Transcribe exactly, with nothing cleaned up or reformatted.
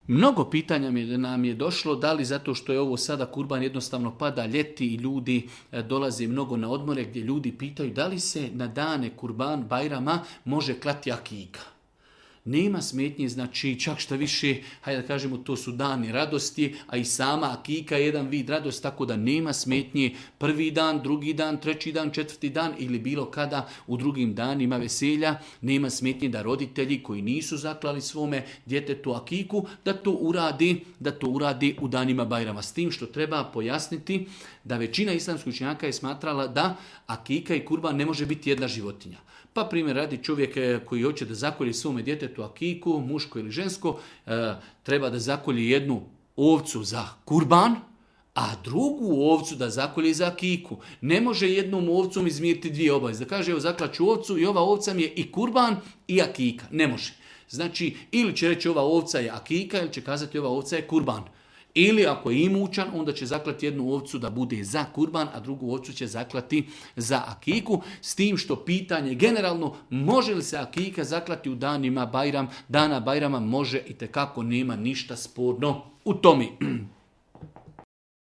Mnogo pitanja mi- nam je došlo, da li zato što je ovo sada kurban jednostavno pada ljeti i ljudi e, dolaze mnogo na odmore gdje ljudi pitaju da li se na dane kurban Bajrama može klati akika. Nema smetnje, znači čak šta više, hajde da kažemo, to su dani radosti, a i sama akika je jedan vid radosti, tako da nema smetnje prvi dan, drugi dan, treći dan, četvrti dan ili bilo kada u drugim danima veselja. Nema smetnje da roditelji koji nisu zaklali svome djetetu akiku, da to uradi, da to uradi u danima Bajrama. S tim što treba pojasniti da većina islamskih učenjaka je smatrala da akika i kurban ne može biti jedna životinja. Pa primjer radi, čovjek e, koji hoće da zakolje svome djetetu akiku, muško ili žensko, e, treba da zakolje jednu ovcu za kurban, a drugu ovcu da zakolje za akiku. Ne može jednom ovcom izmiriti dvije obaveze. Da kaže, evo zaklaću ovcu i ova ovca mi je i kurban i akika. Ne može. Znači, ili će reći ova ovca je akika, ili će kazati ova ovca je kurban. Ili ako je imućan, onda će zaklati jednu ovcu da bude za kurban, a drugu ovcu će zaklati za akiku. S tim što pitanje generalno, može li se akika zaklati u danima Bajram, dana Bajrama, može i tekako, nema ništa sporno u tome.